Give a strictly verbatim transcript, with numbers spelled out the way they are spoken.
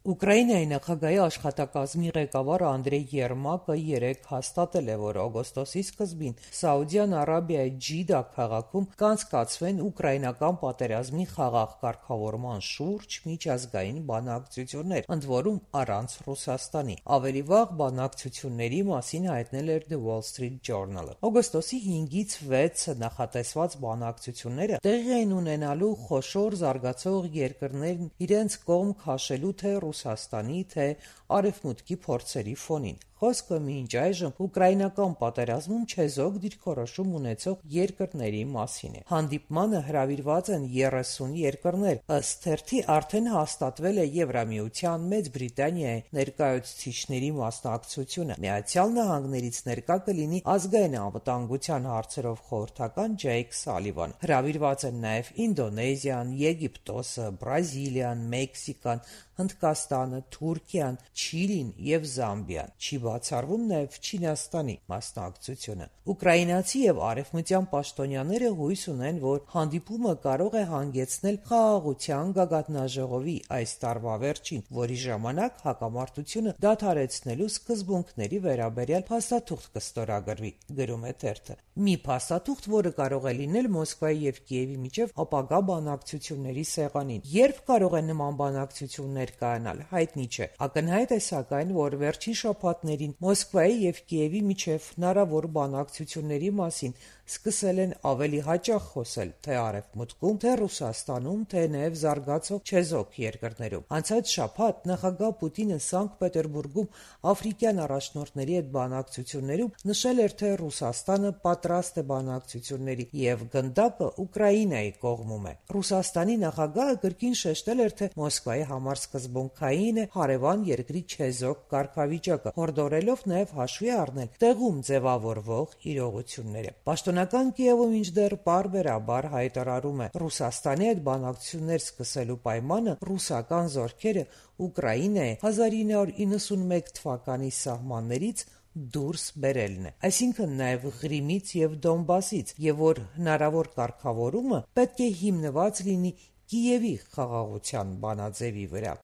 Ուկրաինայի նախագահի աշխատակազմի ղեկավար Անդրեյ Երմակը երեկ հաստատել է, որ օգոստոսի սկզբին Սաուդյան Արաբիայի Ջիդա քաղաքում կանցկացվեն ուկրաինական պատերազմի խաղաղ կարգավորման շուրջ միջազգային բանակցություններ, ընդ որում առանց Ռուսաստանի։ Ավելի վաղ բանակցությունների մասին հայտնել էր The Wall Street Journal-ը։ Օգոստոսի հինգից վեցը նախատեսված բանակցությունները տեղի են ունենալու խոշոր զարգացող երկրներն իրենց կողմ քաշելու թե Ռուսաստանի, թե Արևմուտքի փորձերի ֆոնին։ Խոսքը մինչ այժմ ուկրաինական պատերազմում չեզոք դիրքորոշում ունեցող երկրների մասին է։ Հանդիպմանը հրավիրված են երեսուն երկրներ։ Ըստ թերթի արդեն հաստատվել է Եվրամիության, Մեծ Բրիտանիայի ներկայացուցիչների մասնակցությունը։ Միացյալ Նահանգներից ներկա կլինի ազգային անվտանգության հարցերով խորհրդական Ջեյք Սալիվան։ Հրավիրված են նաև Ինդոնեզիան, Եգիպտոսը, Բրազիլիան, Մեքսիկան, Հնդկաստանը, Թուրքիան, Չիլին և Զամբիան։ Չի բացառվում նաև Չինաստանի մասնակցությունը։ Ուկրաինացի և արևմտյան պաշտոնյաները հույս ունեն, որ հանդիպումը կարող է հանգեցնել խաղաղության գագաթնաժողովի այս տարվա վերջին, որի ժամանակ հակամարտությունը դադարեցնելու սկզբունքների վերաբերյալ փաստաթուղթ կստորագրվի, գրում է թերթը։ Մի փաստաթուղթ, որը կարող է լինել Մոսկվայի և Կիևի միջև ապագա բանակցությունների սեղանին։ Երբ կարող են նման բանակցություններ կայանալ, հայտնի չէ։ Ակնհայտ է, սակայն, որ վերջին շաբաթներին Մոսկվայի և Կիևի միջև հնարավոր բանակցությունների մասին սկսել են ավելի հաճախ խոսել թե Արևմուտքում, թե Ռուսաստանում, թե նաև զարգացող չեզոք երկրներում։ Անցած շաբաթ նախագահ Պուտինը Սանկտ Պետերբուրգում աֆրիկյան առաջնորդների հետ բանակցություններում նշել էր, թե Ռուսաստանը պատրաստ է բանակցությունների և գնդակը Ուկրաինայի կողմում է։ Ռուսաստանի նախագահը կրկին շեշտել էր, թե Մոսկվայի համար սկզբունքային է հարևան երկրի չեզոք կարգավիճակը, հորդորելով նաև հաշվի առնել տեղում ձևավորվող իրողությունները։ Պաշտոնական Կիևը մինչդեռ պարբերաբար հայտարարում է Ռուսաստանի հետ բանակցություններ սկսելու պայմանը ռուսական զորքերը Ուկրաինայի հազար ինը հարյուր իննսունմեկ թվականի սահմաններից դուրս բերելն է, այսինքն նաև Ղրիմից և Դոնբասից, և որ հնարավոր կարգավորումը պետք է հիմնված լինի Կիևի խաղաղության բանաձևի վրա։